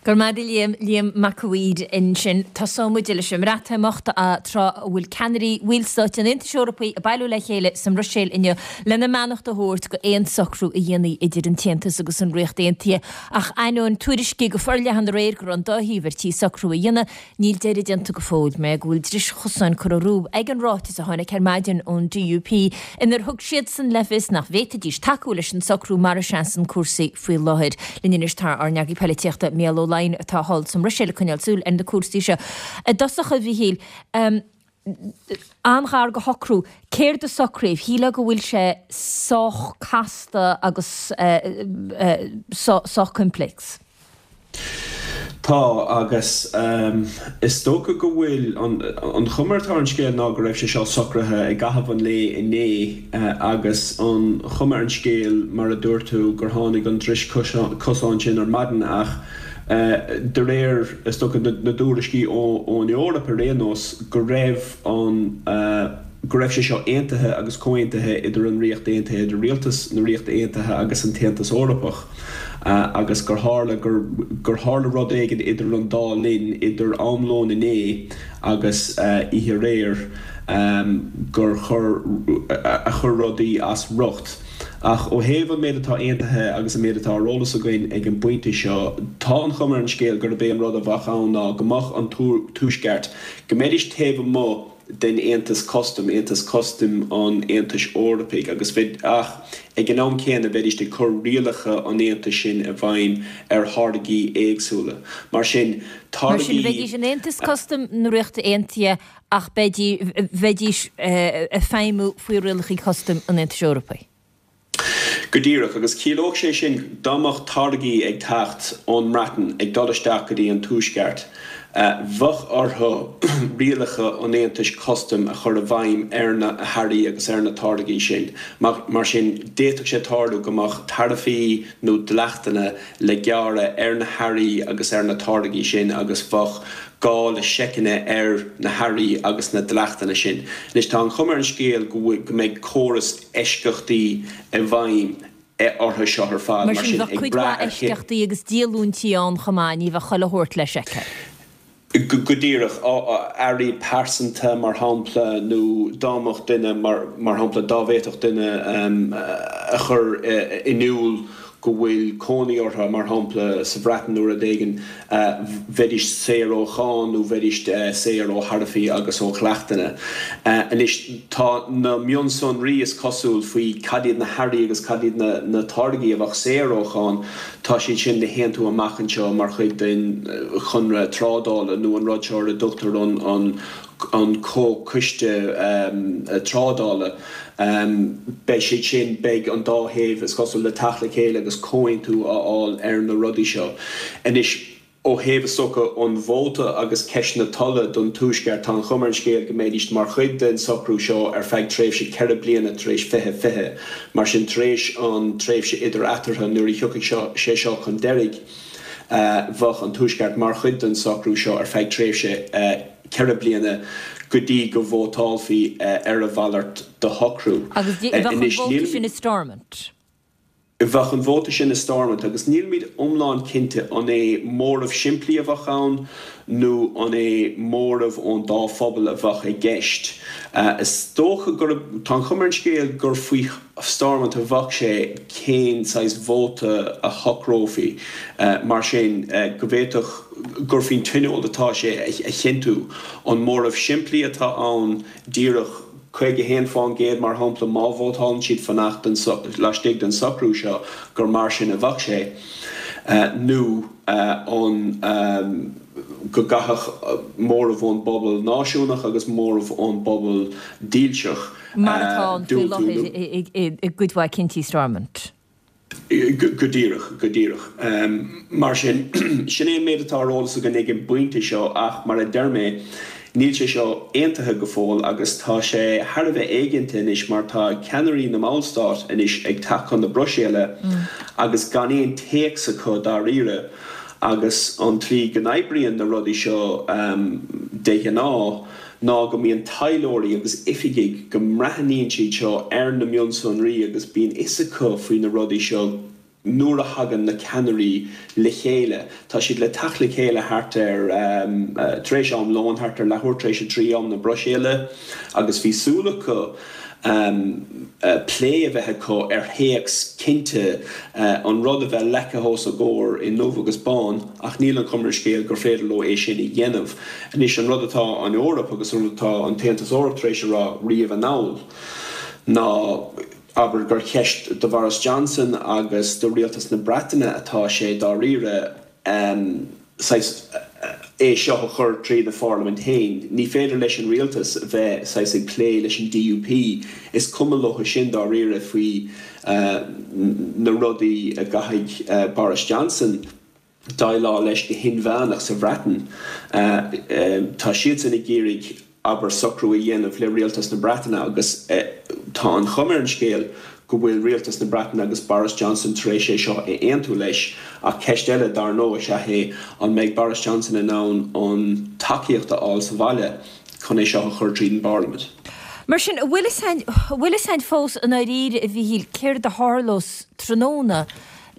Go raibh maith agat a Liam, Liam Mac a' Mhaoir ansin. Tosóidh muid leis an mBreatimeacht, tráth a bhfuil ceannairí bhallstáit an Aontais Eorpaigh ag bailiú le chéile sa mBruiséil inniu lena mbeannacht a thabhairt go aon socrú a dhéanfaí idir an tAontas agus an Ríocht Aontaithe. Ach ainneoin tuairiscí go forleathan aréir go raibh an dá thaobh ar tí socrú a dhéanamh, Níl deireadh déanta go fóill, mar go bhfuil dris chosáin curtha rompu ag an ráiteas a tháinig ar maidin ón DUP inar thug siadsan le fios nach bhféadfaidís tacú leis an socrú mar a seasann cúrsaí faoi láthair. Linn anois tá ár n-eagraí poilitíochta Mícheál Ó Laighin atá thall sa mBruiséil ag coinneáil súil ar na cúrsaí seo. I dtosach, a Mhíchíl, an-ghar do shocrú. Céard a socraíodh? Shílfeá go bhfuil sé sách casta agus sách coimpléacs. Tá, agus is dócha go bhfuil. An chuma atá ar an scéal ná go raibh sé seo socraithe i gcaitheamh an lae inné agus an chuma ar an scéal, mar a dúirt tú, gur tháinig an dris chosáin sin ar maidin ach de réir, is dócha, na dtuairiscí ón Eoraip ar aon nós, go raibh an, go raibh sé seo aontaithe agus comhaontaithe idir an Ríocht Aontaithe, idir Rialtas na Ríochta Aontaithe agus an tAontas Eorpach agus gur tharla gur, gur tharla rud éigin idir an dá linn, idir am lóin inné agus oíche aréir, gur chuir, a chuir rudaí as riocht. Ach ó thaobh an méid atá aontaithe agus an méid atá ar eolas againn ag an bpointe seo, tá an chuma ar an scéal gurb é an rud a bheadh ann ná go mbeadh an Tuaisceart, go mbeidís taobh amuigh den Aontas Custaim, Aontas Custaim an Aontais Eorpaigh, agus bheid, ach ag an am céanna bheidís ag cur rialacha an Aontais sin i bhfeidhm ar tháirgí éagsúla. Mar sin, Mar sin, táirgí. bheidís in Aontas Custaim na Ríochta Aontaithe ach bheidís ag feidhmiú faoi rialacha custaim an Aontais Eorpaigh. Go díreach, agus chiallódh sé sin dá mbeadh táirgí ag teacht ón mBreatain ag dul isteach go dtí an Tuaisceart, bheadh orthu rialacha an Aontais custaim a chur i bhfeidhm ar na hearraí agus ar na táirgí sin. Mar sin, d'fhéadfadh sé tarlú go mbeadh taraifí nó dleachtanna le gearradh ar na hearraí agus ar na táirgí sin agus bheadh gá le seiceanna ar na hearraí agus na dleachtanna sin. Anois tá an chuma ar an scéal go bhfuil, go mbeidh córas eisceachtaí i bhfeidhm orthu seo ar fad, Mar mar sin sin, bheadh ag cuid brath mhaith ar cé. eisceachtaí agus díolúintí ann chomh maith, ní bheadh chuile shórt le seiceáil. Go díreach. Earraí pearsanta, mar shampla, nó dá mbeadh duine, mar shampla, dá bhféadfadh duine a chur in iúl go bhfuil cónaí orthu, mar shampla, sa Bhreatain nó rud éigin, bheidís saor ó cháin nó bheidís saor ó tharaifí agus ó dhleachtanna. Anois, tá na mionsonraí, is cosúil, faoi cad iad na hearraí agus cad iad na táirgí a bheadh saor ó cháin, Tá siad sin le haontú amach anseo mar chuid den chonradh trádála nó an rud seo ar a dtugtar an Comhchoiste Trádála. Beidh siad sin, beidh an dá thaobh, is cosúil, le teacht le chéile agus comhaontú a fháil ar na rudaí seo. Anois. Ó thaobh, is dócha, an vóta agus ceist na tola don Tuaisceart, tá an chuma ar an scéal go mbeidís mar chuid den socrú seo ar feadh tréimhse 4 bliana tar éis 2020. Mar sin, tar éis an tréimhse idir eatarthu, nuair a thiocfaidh sé seo chun deiridh, bheadh an Tuaisceart mar chuid den socrú seo ar feadh tréimhse 4 bliana go dtí go vótálfaí ar a mhalairt de shocrú. Agus bheadh an vóta sin i Stormont. Bheadh an vóta sin i Stormont agus nílimid iomlán cinnte an é móramh simplí a bheadh ann nó an é móramh ón dá phobal a bheadh i gceist. Is dócha gurb, tá an chuma ar an scéal gur faoi Stormont a bheadh sé cén saghas vóta a shocrófaí. Mar sin, go bhféadfadh gur faoin Tionól atá sé a chinntiú an móramh simplí atá ann díreach 51%, mar shampla, má vótálann siad fanacht laistigh den socrú seo, gur mar sin a bheadh sé, nó an go gcaithfeadh móramh ón bpobal náisiúnach agus móramh ón bpobal dílseach Mar atá ann faoi diúltú láthair i gcuid mhaith cinntí Stormont. Go díreach, go díreach. Mar sin, sin é an méid atá ar eolas againn ag an bpointe seo ach, mar a deir mé, níl sé seo aontaithe go fóill agus tá sé thar a bheith éiginnte anois mar tá ceannairí na mballstát anois ag teacht chun na Bruiséile agus gan aon téacs acu dáiríre agus an tslí go n-oibríonn na rudaí seo de ghnáth, ná go mbíonn taidhleoirí agus oifigigh, go mbreathnaíonn siad seo ar na mionsonraí agus bíonn fhios acu faoi na rudaí seo. Nuair a thagann na ceannairí le chéile, tá siad le teacht le chéile thart ar, tar éis am lóin, thart ar leathuair tar éis a dtrí, am na Bruiséile, agus bhí súil acu plé a bheith acu ar théacs cinnte, an rud a bheith leagtha os a gcomhair i ndubh agus bán, ach níl an chuma ar an scéal gur féidir leo é sin a dhéanamh. Anois, an rud atá an Eoraip agus an rud atá an tAontas Eorpach tar éis a rá riamh anall ná, Abair gur cheist do Bhoris Johnson agus do rialtas na Breataine atá sé dáiríre, saghas, é seo a chur tríd an pharlaimint féin. Ní féidir leis an rialtas bheith, saghas, ag plé leis an DUP. Is cuma leo sin dáiríre faoi na rudaí a gcaithfidh Boris Johnson. déileáil leis go hinmheánach sa Bhreatain. Tá siadsan ag iarraidh, abair, socrú a dhéanamh le rialtas na Breataine agus tá an chuma ar an scéal go bhfuil rialtas na Breataine agus Boris Johnson tar éis é seo a aontú leis. Ach ceist eile, dar ndóigh, is ea é an mbeidh Boris Johnson in ann an tacaíocht a fháil sa bhaile chun é seo a chur tríd an bparlaimint. Mar sin, an bhfuil fhios a'inn fós i ndáiríre, a Mhíchíl, céard a tharlós tráthnóna?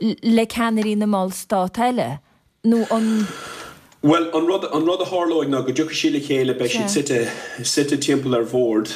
le ceannairí na mballstát eile, nó an. Bhuel, an rud, an rud a tharlóidh ná go dtiocfaidh siad le chéile, beidh siad suite, suite timpeall ar bhord.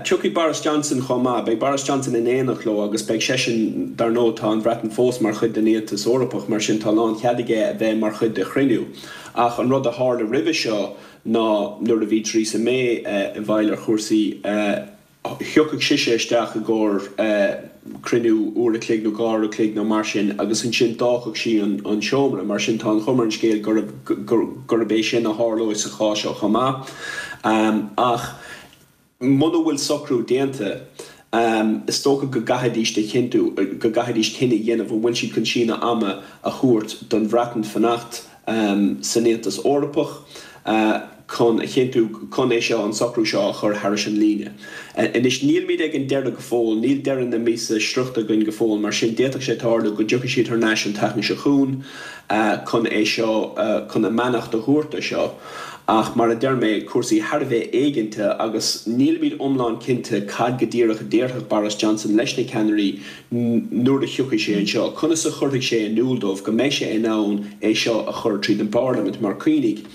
Tiocfaidh Boris Johnson chomh maith, beidh Boris Johnson in éineacht leo agus beidh seisean, dar ndóigh tá an Bhreatain fós mar chuid den Aontas Eorpach, mar sin tá lánchead aige a bheith mar chuid de chruinniú. Ach an rud a tharla roimhe seo ná nuair a bhí Theresa May i bhfeighil ar chúrsaí, Thiocfadh sise isteach i gcomhair cruinniú uair a chloig nó dhá uair a chloig nó mar sin agus ansin d'fhágfadh sí an seomra. Mar sin tá an chuma ar an scéal gurb é sin a tharlóidh sa chás seo chomh maith. Ach muna bhfuil socrú déanta, is dócha go gcaithfidís a chinntiú, go gcaithfidís cinneadh a dhéanamh an bhfuil siad chun síneadh ama a thabhairt don Bhreatain fanacht san Aontas Eorpach chun a chinntiú chun é seo, an socrú seo a chur thairis an líne. Anois, nílimid ag an deireadh go fóill, níl deireadh na míosa sroichte againn go fóill, mar sin d'fhéadfadh sé tarlú go dtiocfaidh siad thar n-ais an tseachtain seo chugainn chun é seo, chun a mbeannacht a thabhairt do seo. Ach mar a deir mé, cúrsaí thar a bheith éiginnte agus nílimid iomlán cinnte cad go díreach a déarfadh Boris Johnson leis na ceannairí nuair a thiocfaidh sé anseo, conas a chuirfidh sé in iúl dóibh go mbeidh sé in ann é seo a chur tríd an bParlaimint? Mar cuimhnigh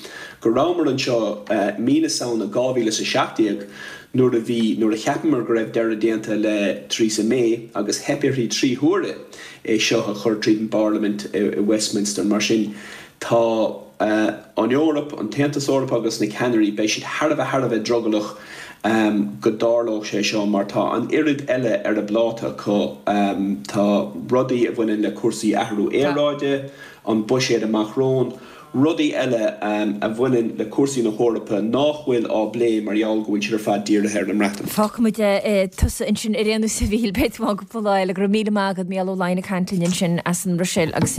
go rabhamar anseo mí na Samhna 2017 nuair a bhí, nuair a cheapamar go raibh deireadh déanta le Theresa May agus theip uirthi 3 huaire é seo a chur tríd an bParlaimint i Westminster. Mar sin tá an Eoraip, an tAontas Eorpach agus na ceannairí, beidh siad thar a bheith, thar a bheith drogallach go dtarlódh sé seo mar tá an oiread eile ar a bpláta acu. Tá rudaí a bhaineann le cúrsaí athrú aeráide, an buiséad amach romhainn, rudaí eile a bhaineann le cúrsaí na hEorpa nách bhfuil á bplé mar gheall go bhfuil siad ar fad dírithe ar an mBreatain. Fágfaimid tusa ansin ar aon nós a Mhíchíl, beidh tú ann cúpla lá eile. Go raibh míle maith agat, Mícheál Ó Laighin ag caint linn ansin as an mBruiséil agus.